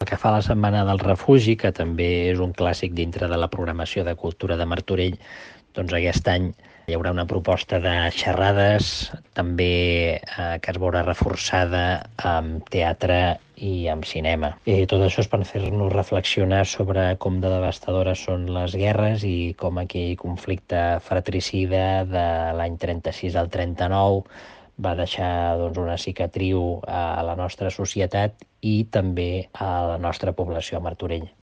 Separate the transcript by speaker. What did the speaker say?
Speaker 1: Pel que fa a la Setmana del Refugi, que també és un clàssic dintre de la programació de cultura de Martorell, doncs aquest any hi haurà una proposta de xerrades, també que es veurà reforçada amb teatre i amb cinema. Tot això és per fer-nos reflexionar sobre com de devastadores són les guerres i com aquell conflicte fratricida de l'any 36 al 39 va deixar una cicatriu a la nostra societat i també a la nostra població a Martorell.